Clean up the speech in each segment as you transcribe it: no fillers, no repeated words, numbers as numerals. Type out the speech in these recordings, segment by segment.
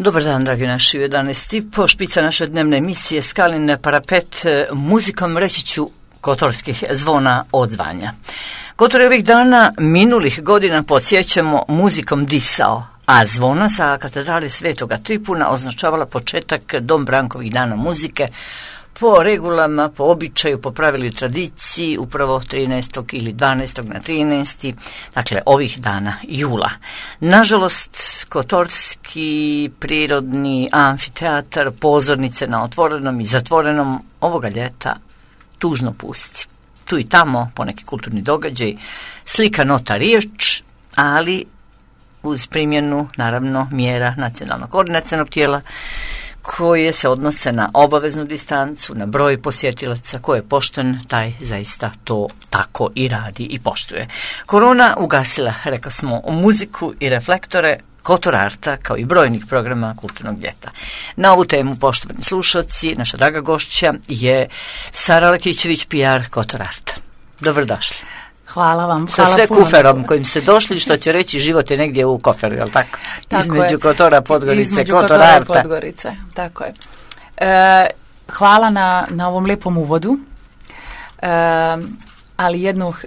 Dobar dan, dragi naši, 11:30, špica naše dnevne emisije Skalin parapet, muzikom reći ću kotorskih zvona odzvanja. Kotor je ovih dana minulih godina podsjećamo muzikom disao, a zvona sa katedrale Svetoga Tripuna označavala početak Dombrankovih dana muzike, po regulama, po običaju, po pravilu i tradiciji, upravo 13. ili 12. na 13. dakle ovih dana jula. Nažalost, kotorski prirodni amfiteatar, pozornice na otvorenom i zatvorenom ovoga ljeta tužno pusti. Tu i tamo poneki kulturni događaj, slika, nota, riječ, ali uz primjenu, naravno, mjera nacionalnog koordinacionog tijela koje se odnose na obaveznu distancu, na broj posjetilaca. Ko je pošten, taj zaista to tako i radi i poštuje. Korona ugasila, rekla smo, muziku i reflektore Kotor Arta, kao i brojnih programa kulturnog ljeta. Na ovu temu, poštovani slušalci, naša draga gošća je Sara Lakićević, PR Kotor Arta. Dobrodošli. Hvala vam. Sa sve kuferom kojim ste došli, što će reći život je negdje u koferu, je li tako? Između Kotora, Podgorice, Kotor Arta. Podgorice, tako je. Hvala na ovom lijepom uvodu, ali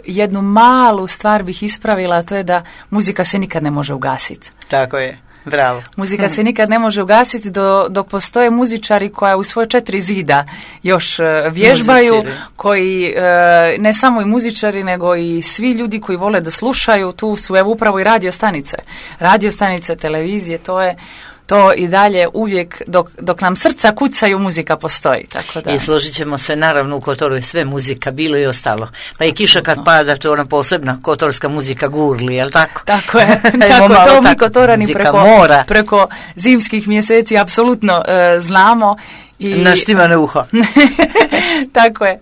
jednu malu stvar bih ispravila, a to je da muzika se nikad ne može ugasiti. Tako je. Bravo. Muzika se nikad ne može ugasiti dok postoje muzičari koja u svoje 4 zida još vježbaju, koji ne samo i muzičari, nego i svi ljudi koji vole da slušaju. Tu su evo upravo i radio stanice, televizije, to i dalje uvijek dok nam srca kucaju, muzika postoji. Tako da. I složit ćemo se, naravno u Kotoru je sve muzika, bilo i ostalo. Pa i kiša kad pada, to je ona posebna kotorska muzika gurli, je li tako? Tako je. To mi Kotorani preko zimskih mjeseci apsolutno znamo. Naštimane uho. Tako je.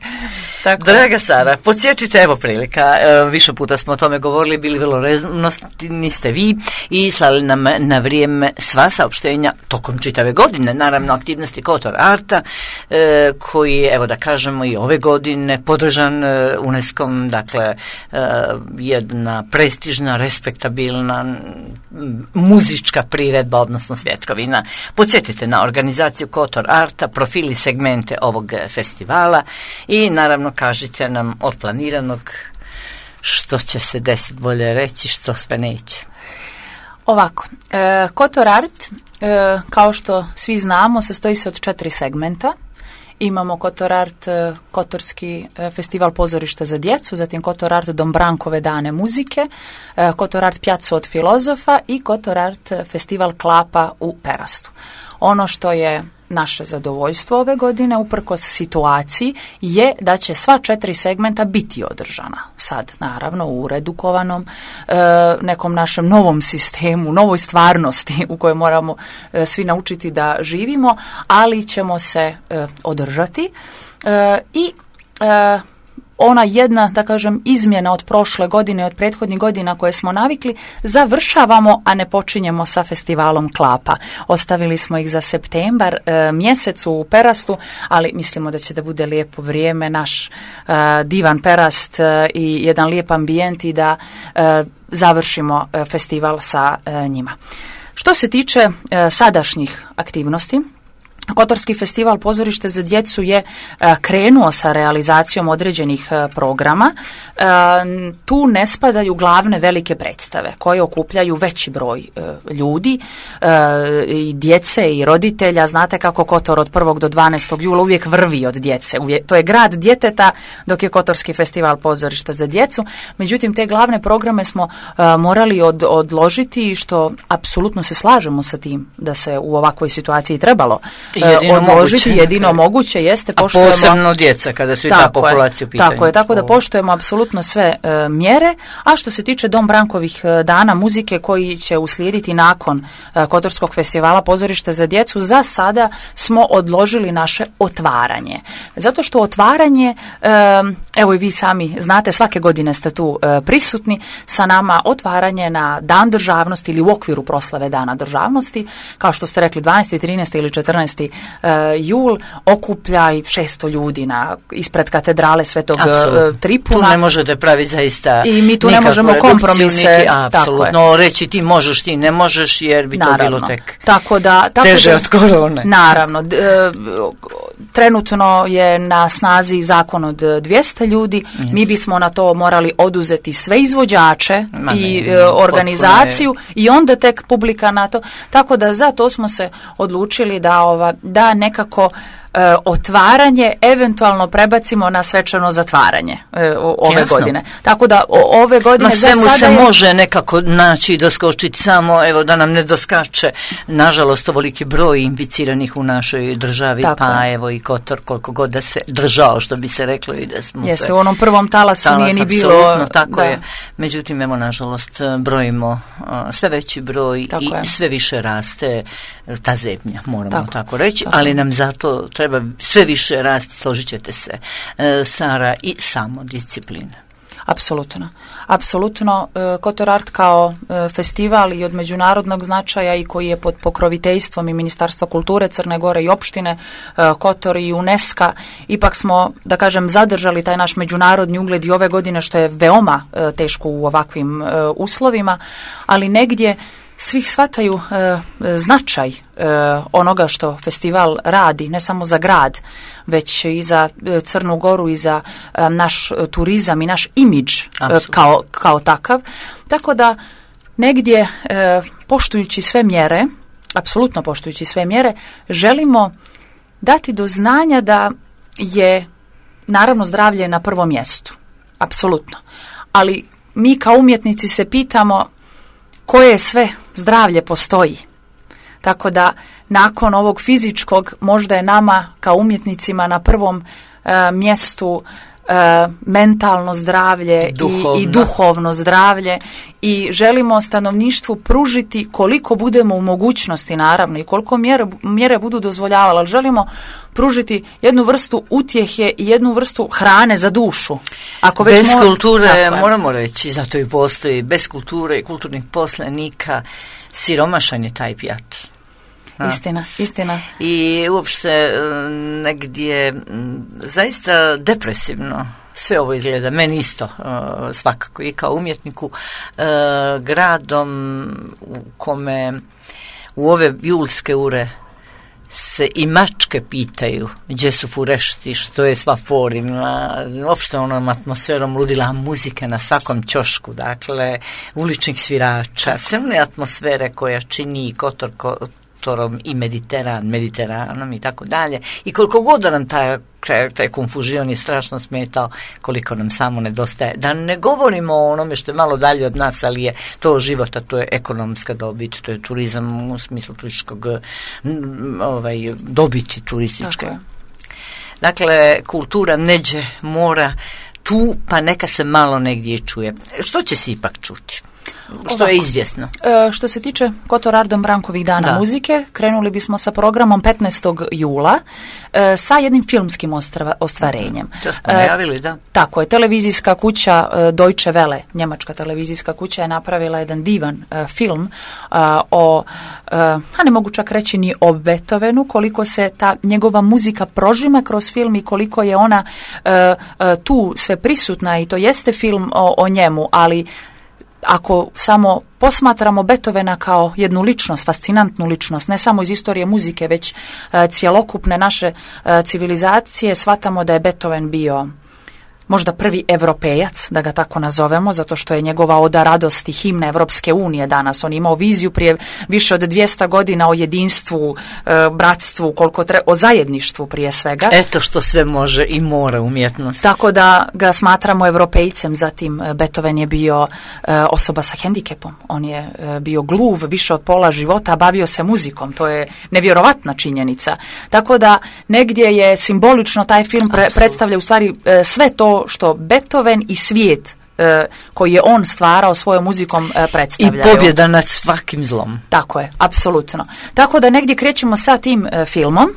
Draga Sara, podsjetite, evo prilika, više puta smo o tome govorili, bili vrlo reznosti ste vi i slali nam na vrijeme sva saopštenja tokom čitave godine, naravno aktivnosti Kotor Arta, koji je, evo da kažemo, i ove godine podržan UNESCO-om, dakle jedna prestižna, respektabilna muzička priredba, odnosno svjetkovina. Podsjetite na organizaciju Kotor Arta, profili, segmente ovog festivala i naravno kažite nam od planiranog što će se desiti, bolje reći, što sve neće. Ovako, Kotor Art, kao što svi znamo, sastoji se od 4 segmenta. Imamo Kotor Art, Kotorski festival pozorišta za djecu, zatim Kotor Art Dombrankove dane muzike, Kotor Art Pjaco od filozofa i Kotor Art festival klapa u Perastu. Ono što je naše zadovoljstvo ove godine, uprkos situaciji, je da će sva 4 segmenta biti održana. Sad, naravno, u redukovanom nekom našem novom sistemu, novoj stvarnosti u kojoj moramo svi naučiti da živimo, ali ćemo se održati i ona jedna, da kažem, izmjena od prošle godine, od prethodnih godina koje smo navikli, završavamo, a ne počinjemo sa festivalom klapa. Ostavili smo ih za septembar mjesec u Perastu, ali mislimo da će da bude lijepo vrijeme, naš divan Perast i jedan lijep ambijent i da završimo festival sa njima. Što se tiče sadašnjih aktivnosti, Kotorski festival pozorište za djecu je krenuo sa realizacijom određenih programa. Tu ne spadaju glavne velike predstave koje okupljaju veći broj ljudi, i djece i roditelja. Znate kako Kotor od 1. do 12. jula uvijek vrvi od djece. To je grad djeteta, dok je Kotorski festival pozorišta za djecu. Međutim, te glavne programe smo morali odložiti, što apsolutno se slažemo sa tim da se u ovakvoj situaciji trebalo odložiti, jedino moguće jeste poštujemo, a posebno djeca kada su i ta populacija u pitanju. Tako da poštujemo apsolutno sve mjere, a što se tiče Dombrankovih dana muzike koji će uslijediti nakon Kotorskog festivala pozorišta za djecu, za sada smo odložili naše otvaranje. Zato što otvaranje evo i vi sami znate, svake godine ste tu prisutni sa nama, otvaranje na Dan državnosti ili u okviru proslave Dana državnosti, kao što ste rekli 12. 13. ili 14. Jul okuplja i 600 ljudi ispred katedrale Svetog Tripuna. Tu ne možete praviti zaista i mi tu ne možemo kompromise. Apsolutno, reći ti možeš, ti ne možeš, jer bi to bilo tek teže od korone. Naravno, trenutno je na snazi zakon od 200 ljudi, mi bismo na to morali oduzeti sve izvođače i organizaciju i onda tek publika na to. Tako da za to smo se odlučili da nekako otvaranje eventualno prebacimo na svečano zatvaranje ove godine. Tako da ove godine za sada se može nekako naći i doskočiti, samo evo da nam ne doskače nažalost ovoliki broj inficiranih u našoj državi, pa evo i Kotor koliko god da se držao, što bi se reklo, i da smo u onom prvom talasu nije ni bilo. Tako je. Međutim, evo nažalost brojimo sve veći broj i sve više raste ta zebnja, moramo tako reći, ali nam zato treba sve više rasti, složit ćete se, Sara, i samodisciplina. Apsolutno. Kotor Art kao festival i od međunarodnog značaja i koji je pod pokroviteljstvom i Ministarstva kulture Crne Gore i opštine Kotor i UNESCO, ipak smo, da kažem, zadržali taj naš međunarodni ugled i ove godine, što je veoma teško u ovakvim uslovima, ali negdje svi shvataju značaj onoga što festival radi, ne samo za grad, već i za Crnu Goru i za naš turizam i naš imidž kao takav. Tako da negdje poštujući sve mjere, apsolutno poštujući sve mjere, želimo dati do znanja da je naravno zdravlje na prvom mjestu. Apsolutno. Ali mi kao umjetnici se pitamo koje sve zdravlje postoji. Tako da nakon ovog fizičkog možda je nama kao umjetnicima na prvom mjestu mentalno zdravlje i duhovno zdravlje, i želimo stanovništvu pružiti koliko budemo u mogućnosti, naravno, i koliko mjere budu dozvoljavale, ali želimo pružiti jednu vrstu utjehe i jednu vrstu hrane za dušu. Bez kulture, moramo reći, zato i postoji, bez kulture i kulturnih poslanika siromašan je taj pijat. Istina. I uopšte negdje zaista depresivno sve ovo izgleda, meni isto svakako i kao umjetniku, gradom u kome u ove julske ure se i mačke pitaju gdje su furešti, što je sva forima, uopšte onom atmosferom ludila muzike na svakom ćošku, dakle uličnih svirača, sve one atmosfere koja čini Kotorom i Mediteranom i tako dalje, i koliko god da nam taj konfuzion je strašno smetao, koliko nam samo nedostaje. Da ne govorimo o onome što je malo dalje od nas, ali je to život, a to je ekonomska dobit, to je turizam u smislu turističkog dobiti turističke. Dakle, kultura neđe mora tu, pa neka se malo negdje čuje. Što će se ipak čuti? Što je izvjesno. Što se tiče Kotor Art Brankovih dana muzike, krenuli bismo sa programom 15. jula sa jednim filmskim ostvarenjem. To smo najavili, da. Tako je, televizijska kuća Deutsche Welle, njemačka televizijska kuća, je napravila jedan divan film ne mogu čak reći ni o Beethovenu, koliko se ta njegova muzika prožima kroz film i koliko je ona tu sve prisutna, i to jeste film o njemu, ali ako samo posmatramo Beethovena kao jednu ličnost, fascinantnu ličnost, ne samo iz istorije muzike, već cjelokupne naše civilizacije, shvatamo da je Beethoven bio možda prvi Evropejac, da ga tako nazovemo, zato što je njegova oda radosti himna Evropske unije danas. On je imao viziju prije više od 200 godina o jedinstvu, bratstvu, o zajedništvu prije svega. Eto što sve može i mora umjetnost. Tako da ga smatramo Evropejcem. Zatim Beethoven je bio osoba sa hendikepom. On je bio gluv više od pola života, a bavio se muzikom. To je nevjerovatna činjenica. Tako da negdje je simbolično taj film predstavlja u stvari sve to što Beethoven i svijet koji je on stvarao svojom muzikom predstavljaju. I pobjeda nad svakim zlom. Tako je, apsolutno. Tako da negdje krećemo sa tim filmom,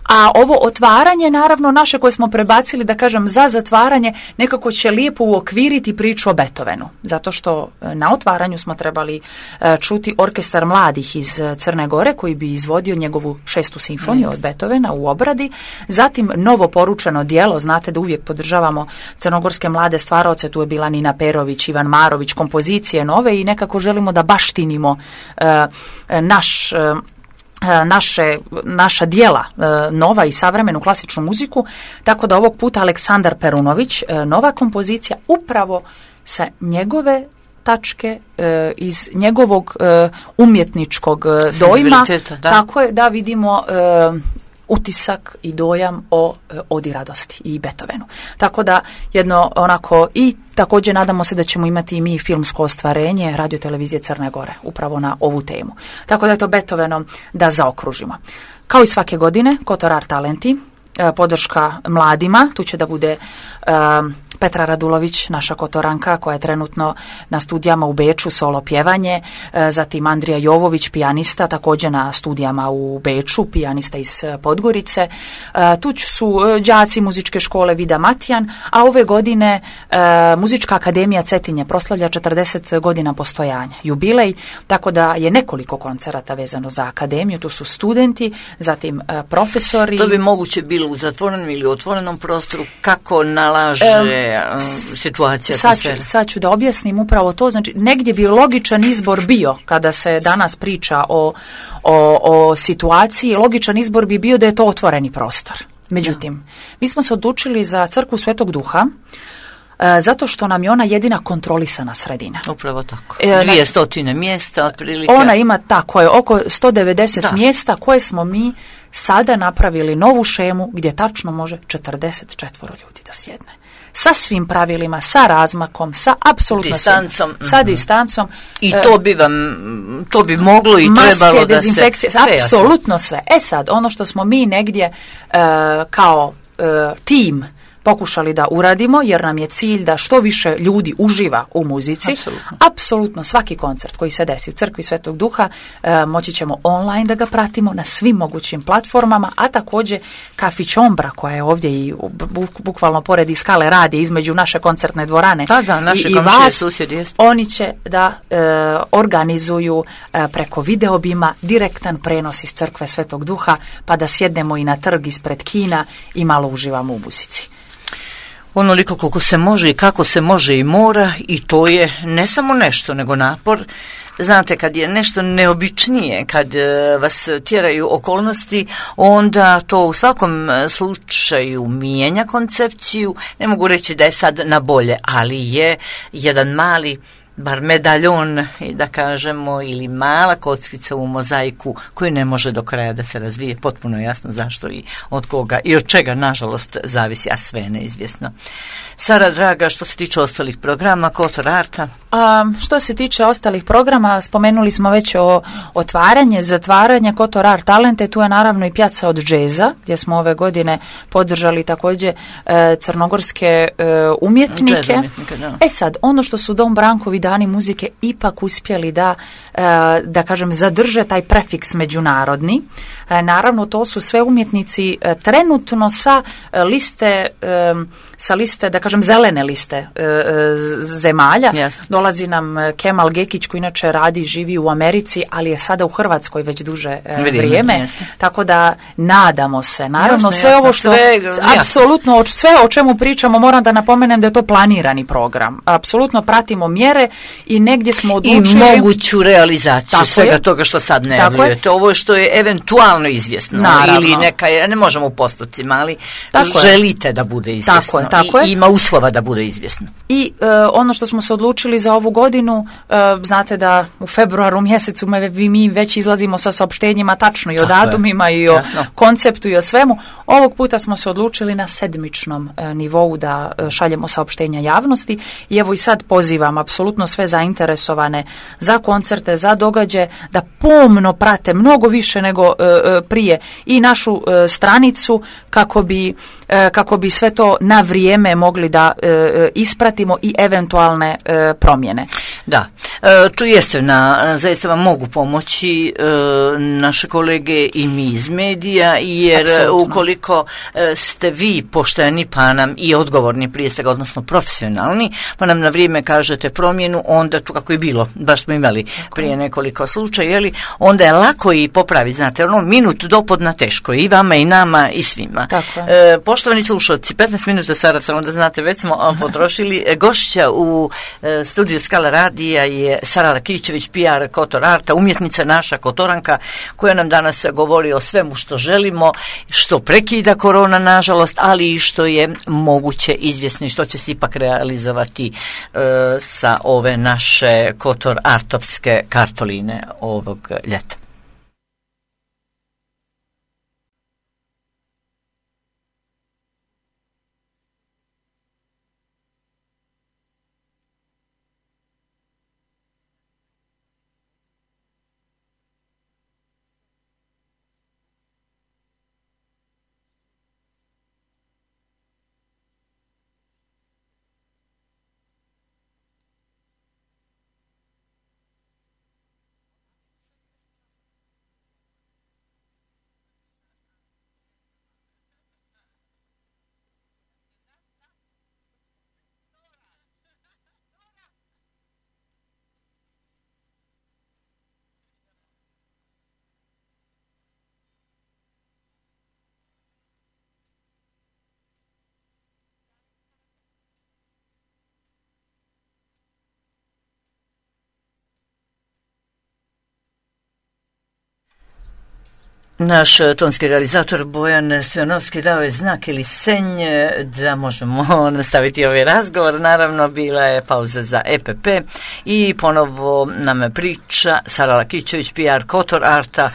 A ovo otvaranje, naravno, naše koje smo prebacili, da kažem, za zatvaranje, nekako će lijepo uokviriti priču o Beethovenu. Zato što na otvaranju smo trebali čuti orkestar mladih iz Crne Gore koji bi izvodio njegovu 6. simfoniju od Beethovena u obradi. Zatim novo poručeno djelo, znate da uvijek podržavamo crnogorske mlade stvaraoce, tu je bila Nina Perović, Ivan Marović, kompozicije nove i nekako želimo da baštinimo naša dijela, nova i savremenu klasičnu muziku, tako da ovog puta Aleksandar Perunović, nova kompozicija upravo sa njegove tačke, iz njegovog umjetničkog dojma, tako je da vidimo utisak i dojam o Odi radosti i Beethovenu. Tako da jedno onako, i također nadamo se da ćemo imati i mi filmsko ostvarenje radiotelevizije Crne Gore upravo na ovu temu. Tako da je to Beethovenom da zaokružimo. Kao i svake godine, Kotor Art Talenti, podrška mladima, tu će da bude Petra Radulović, naša kotoranka koja je trenutno na studijama u Beču, solo pjevanje, zatim Andrija Jovović, pijanista, također na studijama u Beču, pijanista iz Podgorice. Tu su đaci muzičke škole Vida Matijan, a ove godine Muzička akademija Cetinje proslavlja 40 godina postojanja, jubilej, tako da je nekoliko koncerata vezano za akademiju, tu su studenti, zatim profesori. To bi moguće bilo u zatvorenom ili otvorenom prostoru, kako nalaže situacija, atmosfera? Sad ću da objasnim upravo to. Znači, negdje bi logičan izbor bio, kada se danas priča o situaciji, logičan izbor bi bio da je to otvoreni prostor. Međutim, mi smo se odlučili za Crkvu Svetog Duha, zato što nam je ona jedina kontrolisana sredina. Upravo tako. 200 mjesta otprilike. Ona ima tako je oko 190 mjesta koje smo mi sada napravili novu šemu gdje tačno može 44 ljudi da sjedne. Sa svim pravilima, sa razmakom, sa apsolutno distancom. Sa distancom. I to bi moglo i maske, trebalo da dezinfekcije, se... apsolutno sve. Sad, ono što smo mi negdje kao tim pokušali da uradimo, jer nam je cilj da što više ljudi uživa u muzici. Apsolutno svaki koncert koji se desi u Crkvi Svetog Duha moći ćemo online da ga pratimo na svim mogućim platformama, a također Kafić Ombra koja je ovdje i bukvalno pored i skale radi između naše koncertne dvorane i vas, susjedi, oni će da organizuju preko videobima direktan prenos iz Crkve Svetog Duha, pa da sjednemo i na trg ispred kina i malo uživamo u muzici. Onoliko koliko se može i kako se može i mora, i to je ne samo nešto, nego napor. Znate, kad je nešto neobičnije, kad vas tjeraju okolnosti, onda to u svakom slučaju mijenja koncepciju. Ne mogu reći da je sad na bolje, ali je jedan mali bar medaljon, da kažemo, ili mala kockica u mozaiku koji ne može do kraja da se razvije. Potpuno jasno zašto i od koga i od čega, nažalost, zavisi, a sve je neizvjesno. Sara, draga, što se tiče ostalih programa Kotor Arta? Što se tiče ostalih programa, spomenuli smo već o otvaranje, zatvaranje Kotor Art Talente, tu je naravno i Pjaca od džeza, gdje smo ove godine podržali također crnogorske umjetnike. Sad, ono što su Dom Brankovi dani muzike ipak uspjeli da kažem, zadrže taj prefiks međunarodni. Naravno, to su sve umjetnici trenutno sa liste, da kažem, zelene liste zemalja. Yes. Dolazi nam Kemal Gekić koji inače radi i živi u Americi, ali je sada u Hrvatskoj već duže vrijeme. Tako da nadamo se. Naravno, sve ovo što apsolutno sve o čemu pričamo, moram da napomenem da je to planirani program. Apsolutno pratimo mjere i negdje smo odlučili i moguću realizaciju svega toga što sad najavljujete. Ovo što je eventualno izvjesno. Naravno. Ili neka, ne možemo u postocima, ali želite da bude izvjesno. Tako je. I ima uslova da bude izvjesno. I ono što smo se odlučili za ovu godinu, znate da u februaru mjesecu mi već izlazimo sa saopštenjima tačno i o datumima i o konceptu i o svemu. Ovog puta smo se odlučili na sedmičnom nivou da šaljemo saopštenja javnosti i evo i sad pozivam apsolutno sve zainteresovane za koncerte, za događaje, da pomno prate mnogo više nego prije i našu stranicu kako bi sve to na vrijeme mogli da ispratimo i eventualne promjene. Da, tu jeste, zaista vam mogu pomoći naše kolege i mi iz medija, jer apsolutno, ukoliko ste vi pošteni pa nam i odgovorni prije svega, odnosno profesionalni, pa nam na vrijeme kažete promjenu, onda tu kako je bilo, baš smo imali prije nekoliko slučaja, onda je lako i popraviti, znate, minut dopodna teško i vama i nama i svima. Poštovani slušalci, 15 minuta Saraca, onda znate, već smo potrošili. Gošća u studiju Skala radija je Sara Lakićević, PR Kotor Arta, umjetnica naša Kotoranka, koja nam danas govori o svemu što želimo, što prekida korona nažalost, ali i što je moguće izvjesni, što će se ipak realizovati sa ove naše Kotor Artovske kartoline ovog ljeta. Naš tonski realizator Bojan Stojanovski dao je znak ili senj da možemo nastaviti ovaj razgovor. Naravno, bila je pauza za EPP i ponovo nam priča Sara Lakićević, PR Kotor Arta,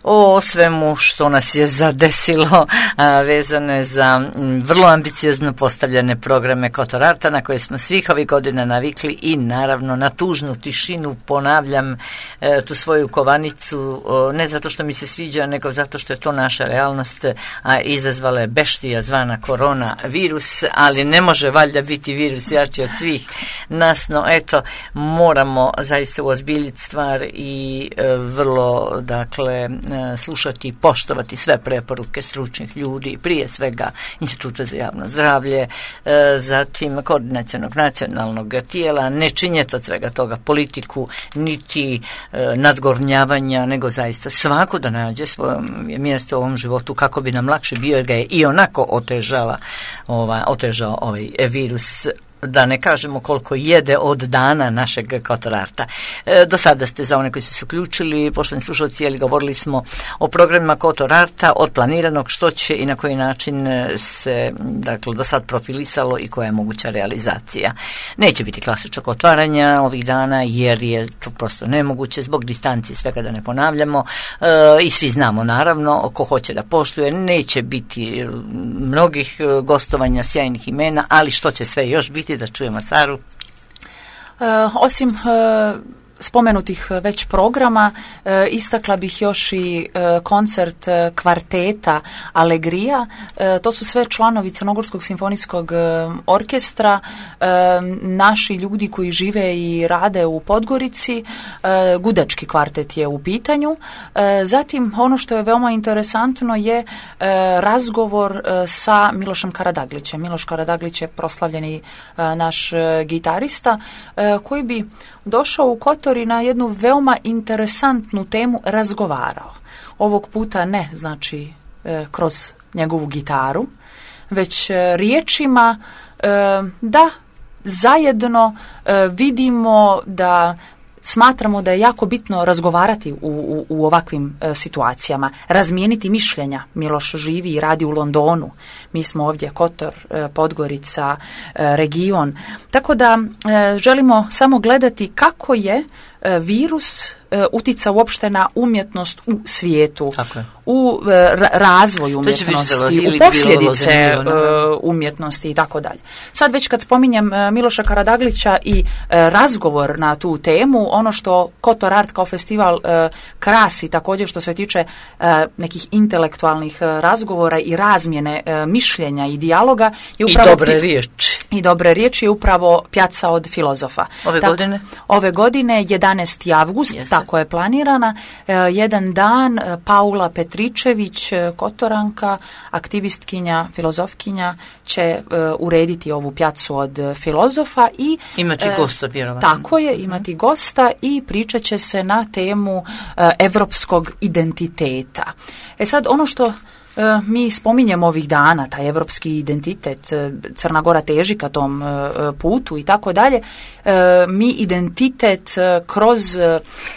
o svemu što nas je zadesilo, vezane za vrlo ambiciozno postavljene programe Kotor Arta na koje smo svih ovih godina navikli i naravno na tužnu tišinu ponavljam tu svoju kovanicu, ne zato što mi se sviđa, nego zato što je to naša realnost, a izazvala je beštija zvana korona virus, ali ne može valjda biti virus jači od svih nas, no eto, moramo zaista uozbiljiti stvar i vrlo, dakle, slušati i poštovati sve preporuke stručnih ljudi, prije svega Instituta za javno zdravlje, zatim koordinacionog nacionalnog tijela, ne činjeti od svega toga politiku, niti nadgornjavanja, nego zaista svako da nađe svoje mjesto u ovom životu kako bi nam lakše bio, jer ga je i onako otežao ovaj virus, da ne kažemo koliko jede od dana našeg Kotor Arta. Do sada ste, za one koji su se uključili, poštovani slušalci, govorili smo o programima Kotor Arta, od planiranog, što će i na koji način se, dakle, do sad profilisalo i koja je moguća realizacija. Neće biti klasičnog otvaranja ovih dana, jer je to prosto nemoguće zbog distancije, svega da ne ponavljamo, i svi znamo naravno ko hoće da poštuje, neće biti mnogih gostovanja, sjajnih imena, ali što će sve još biti, da čujemo Saru. Osim spomenutih već programa, istakla bih još i koncert kvarteta Alegrija. To su sve članovi Crnogorskog simfonijskog orkestra, naši ljudi koji žive i rade u Podgorici. Gudački kvartet je u pitanju. Zatim, ono što je veoma interesantno je razgovor sa Milošem Karadaglićem. Miloš Karadaglić je proslavljeni naš gitarista, koji bi došao u Kotor i na jednu veoma interesantnu temu razgovarao. Ovog puta ne, znači, kroz njegovu gitaru, već riječima da zajedno vidimo da smatramo da je jako bitno razgovarati u ovakvim situacijama, razmijeniti mišljenja. Miloš živi i radi u Londonu, mi smo ovdje Kotor, Podgorica, region. Tako da želimo samo gledati kako je virus utica uopšte na umjetnost u svijetu, u razvoj umjetnosti, u posljedice umjetnosti i tako dalje. Sad već kad spominjem Miloša Karadaglića i razgovor na tu temu, ono što Kotor Art kao festival krasi također što se tiče nekih intelektualnih razgovora i razmjene mišljenja i dijaloga je upravo i dobre riječi je upravo Pjaca od filozofa. Ove godine 11. avgust, tako je planirana, jedan dan Paula Petričević, Kotoranka, aktivistkinja, filozofkinja, će urediti ovu Pjacu od filozofa i imati gosta, vjerovatno. Tako je, imati gosta i pričat će se na temu evropskog identiteta. Sad, ono što mi spominjemo ovih dana, taj evropski identitet, Crna Gora teži ka tom putu i tako dalje, mi identitet kroz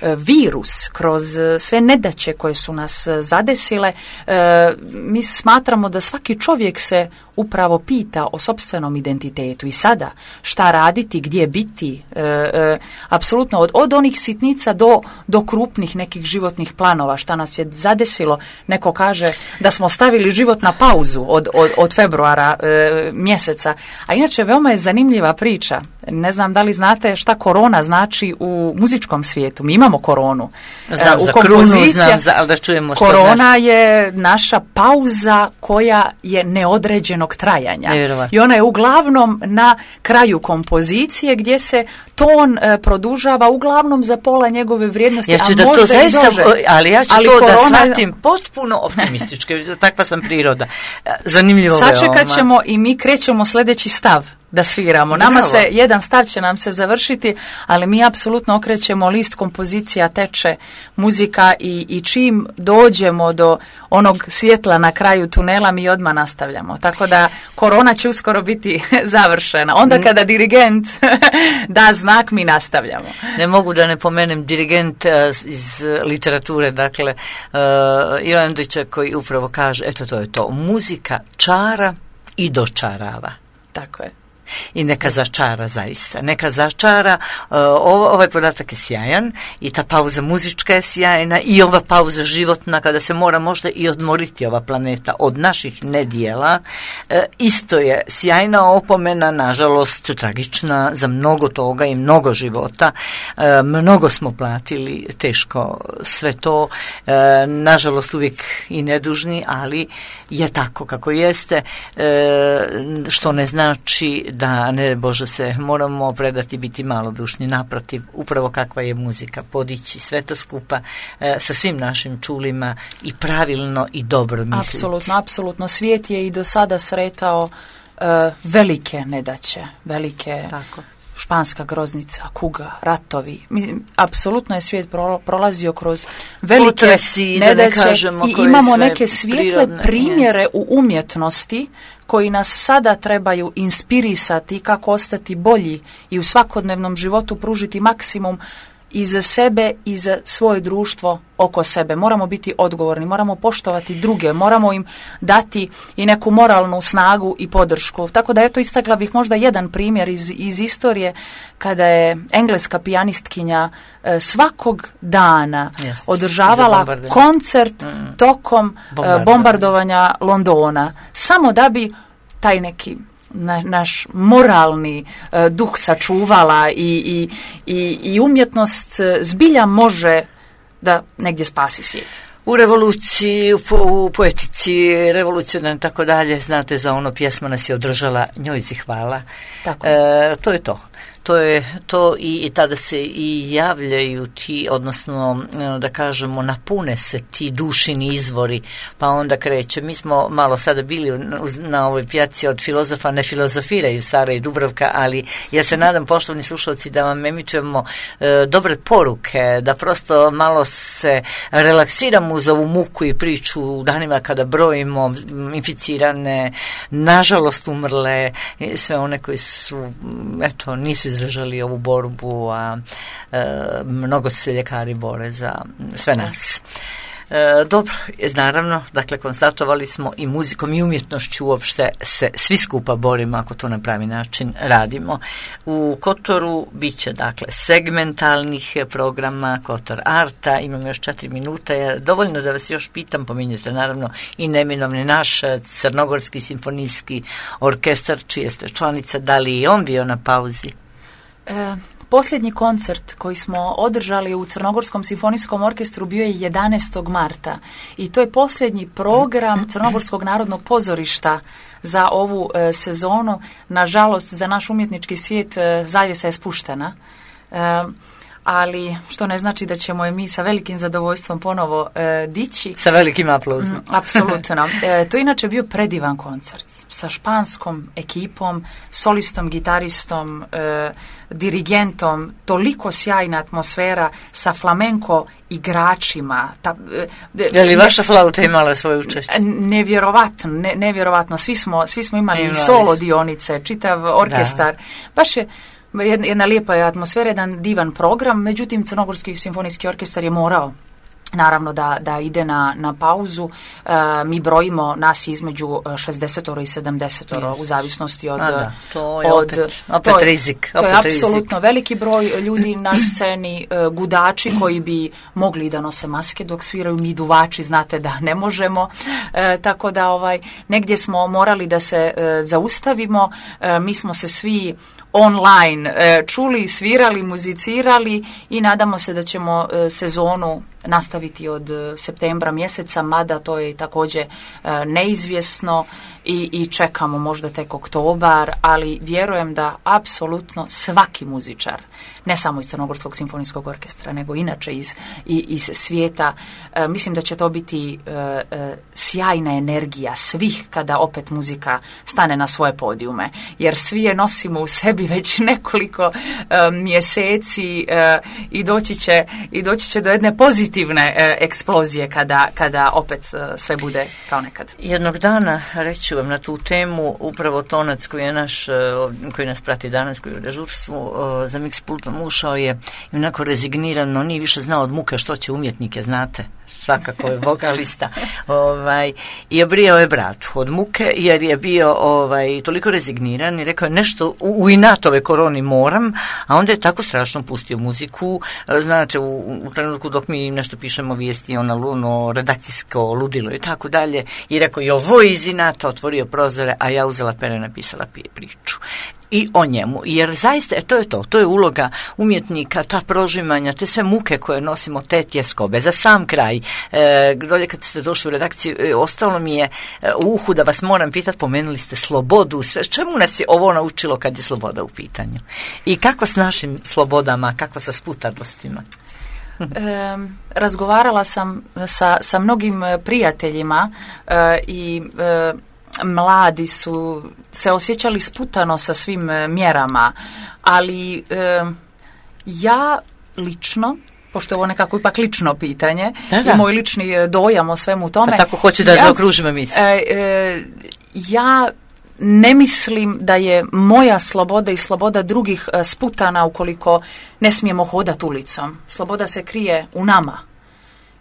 virus, kroz sve nedaće koje su nas zadesile, mi smatramo da svaki čovjek se upravo pita o sopstvenom identitetu i sada šta raditi, gdje biti, apsolutno od onih sitnica do krupnih nekih životnih planova, šta nas je zadesilo. Neko kaže da smo stavili život na pauzu od februara mjeseca, a inače veoma je zanimljiva priča. Ne znam da li znate šta korona znači u muzičkom svijetu. Mi imamo koronu. Znam za krunu, znam za, ali da čujemo što korona znači. Je naša pauza koja je neodređenog trajanja. I ona je uglavnom na kraju kompozicije gdje se ton produžava uglavnom za pola njegove vrijednosti. Ja ću da to zaista, ali ja ću to korona, da shvatim potpuno optimistički. Takva sam priroda. Zanimljivo veoma. Sačekat ćemo i mi krećemo sljedeći stav da sviramo. Nama se, jedan stav će nam se završiti, ali mi apsolutno okrećemo list, kompozicija teče, muzika i čim dođemo do onog svjetla na kraju tunela mi odmah nastavljamo. Tako da korona će uskoro biti završena. Onda kada dirigent da znak, mi nastavljamo. Ne mogu da ne pomenem dirigent iz literature, dakle Ivan Andrića, koji upravo kaže, eto to je to, muzika čara i dočarava. Tako je. I neka začara zaista, neka začara, ovaj podatak je sjajan i ta pauza muzička je sjajna i ova pauza životna kada se mora možda i odmoriti ova planeta od naših nedjela, isto je sjajna opomena, nažalost tragična za mnogo toga i mnogo života, mnogo smo platili teško sve to, nažalost uvijek i nedužni, ali je tako kako jeste, što ne znači da, ne Bože se, moramo predati biti malodušni, naprotiv, upravo kakva je muzika, podići sve to skupa sa svim našim čulima i pravilno i dobro misliti. Apsolutno. Svijet je i do sada sretao velike nedaće, velike... Tako. Španska groznica, kuga, ratovi. Apsolutno je svijet prolazio kroz velike potresi, nedaće i imamo neke svijetle primjere u umjetnosti koji nas sada trebaju inspirisati kako ostati bolji i u svakodnevnom životu pružiti maksimum i za sebe i za svoje društvo oko sebe. Moramo biti odgovorni, moramo poštovati druge, moramo im dati i neku moralnu snagu i podršku. Tako da eto, istakla bih možda jedan primjer iz istorije kada je engleska pijanistkinja svakog dana održavala koncert tokom bombardovanja Londona, samo da bi taj neki naš moralni duh sačuvala i umjetnost zbilja može da negdje spasi svijet. U revoluciji, u poetici, revolucionarno tako dalje, znate za ono pjesma nas je održala, njoj si hvala. Tako. To je to. To je to i tada se i javljaju ti, odnosno da kažemo napune se ti dušini izvori, pa onda kreće. Mi smo malo sada bili na ovoj pjaci od filozofa, ne filozofiraju Sara i Dubravka, ali ja se nadam, poštovani slušalci, da vam emitujemo dobre poruke, da prosto malo se relaksiramo uz ovu muku i priču u danima kada brojimo inficirane, nažalost umrle, sve one koji su, eto, nisu izražali ovu borbu, a mnogo se ljekari bore za sve nas. Dobro, naravno, dakle, konstatovali smo i muzikom i umjetnošću uopšte se svi skupa borimo ako to na pravi način radimo. U Kotoru bit će, dakle, segmentalnih programa, Kotor Arta, imamo još 4 minuta, dovoljno da vas još pitam, pominjete naravno i neminovni naš Crnogorski simfonijski orkestar, čije ste članica, da li i on bio na pauzi? Posljednji koncert koji smo održali u Crnogorskom simfonijskom orkestru bio je 11. marta i to je posljednji program Crnogorskog narodnog pozorišta za ovu sezonu. Nažalost, za naš umjetnički svijet zavjesa je spuštena. Ali što ne znači da ćemo je mi sa velikim zadovoljstvom ponovo dići. Sa velikim aplauzom. Apsolutno. To je inače bio predivan koncert sa španskom ekipom, solistom, gitaristom, dirigentom, toliko sjajna atmosfera sa flamenko igračima. Je li vaša flauta imala svoje učešće? Nevjerovatno. Svi smo imali solo dionice, čitav orkestar. Baš je jedna lijepa atmosfera, jedan divan program, međutim Crnogorski simfonijski orkestar je morao naravno da ide na pauzu. Mi brojimo nas između 60 i 70 u zavisnosti od... to je opet rizik. To je apsolutno veliki broj ljudi na sceni, gudači koji bi mogli da nose maske dok sviraju, mi duvači znate da ne možemo, tako da negdje smo morali da se zaustavimo, mi smo se svi online čuli, svirali, muzicirali i nadamo se da ćemo sezonu nastaviti od septembra mjeseca, mada to je također neizvjesno i čekamo možda tek oktobar, ali vjerujem da apsolutno svaki muzičar, ne samo iz Crnogorskog simfonijskog orkestra, nego inače iz svijeta, mislim da će to biti sjajna energija svih kada opet muzika stane na svoje podijume, jer svi je nosimo u sebi već nekoliko mjeseci i doći će do jedne pozitivne eksplozije kada opet sve bude kao nekad. Jednog dana, reći vam na tu temu, upravo Tonac koji nas prati danas, koji je u dežurstvu za mix pultom ušao je onako rezignirano, nije više znao od muke što će umjetnike, znate, svakako je vokalista, i obrijao je bratu od muke jer je bio toliko rezigniran i rekao je nešto u inatove koroni moram, a onda je tako strašno pustio muziku, znate, u trenutku dok mi nešto pišemo vijesti, ono redakcijsko ludilo i tako dalje, i rekao je ovo iz inata, otvorio prozore, a ja uzela pere i napisala priču. I o njemu, jer zaista to je uloga umjetnika, ta prožimanja, te sve muke koje nosimo, te tjeskobe. Za sam kraj, dolje kad ste došli u redakciju, ostalo mi je u uhu da vas moram pitati, pomenuli ste slobodu, sve, čemu nas je ovo naučilo kad je sloboda u pitanju? I kako s našim slobodama, kako sa sputarnostima? Razgovarala sam sa mnogim prijateljima i mladi su se osjećali sputano sa svim mjerama, ali ja lično, pošto je ovo nekako ipak lično pitanje, i moj lični dojam o svemu tome. Pa tako hoću da zaokružim emisiju. Ja ne mislim da je moja sloboda i sloboda drugih sputana ukoliko ne smijemo hodati ulicom. Sloboda se krije u nama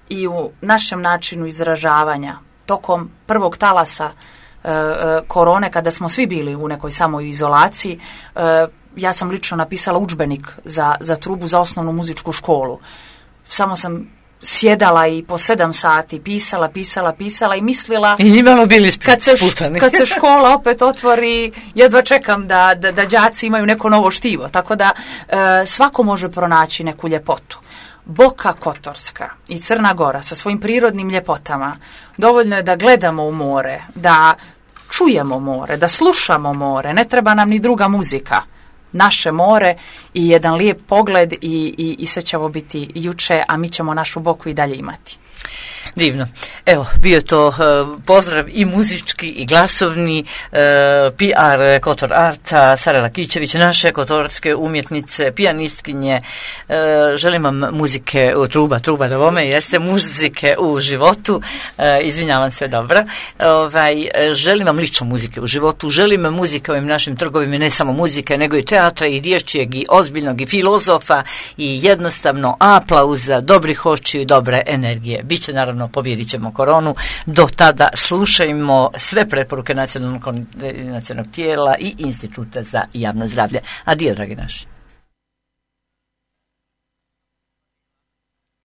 i u našem načinu izražavanja. Tokom prvog talasa korone, kada smo svi bili u nekoj samoizolaciji, ja sam lično napisala udžbenik za trubu za osnovnu muzičku školu. Samo sam sjedala i po 7 sati pisala i mislila i nimalo bili kad se škola opet otvori, jedva čekam da đaci imaju neko novo štivo, tako da svako može pronaći neku ljepotu. Boka Kotorska i Crna Gora sa svojim prirodnim ljepotama, dovoljno je da gledamo u more, da čujemo more, da slušamo more, ne treba nam ni druga muzika. Naše more i jedan lijep pogled i sve će ovo biti juče, a mi ćemo našu Boku i dalje imati. Divno. Evo, bio to pozdrav i muzički i glasovni, PR Kotor Arta, Sara Lakićević, naše kotorske umjetnice, pijanistkinje. Želim vam muzike, truba da vome, jeste muzike u životu, izvinjavam se, dobro. Želim vam lično muzike u životu, želim muzike u ovim našim trgovima, ne samo muzike, nego i teatra, i dječjeg, i ozbiljnog, i filozofa, i jednostavno aplauza, dobrih očiju i dobre energije. Biće naravno, pobijedit ćemo koronu. Do tada slušajmo sve preporuke nacionalnog tijela i Instituta za javno zdravlje. Adio, dragi naši.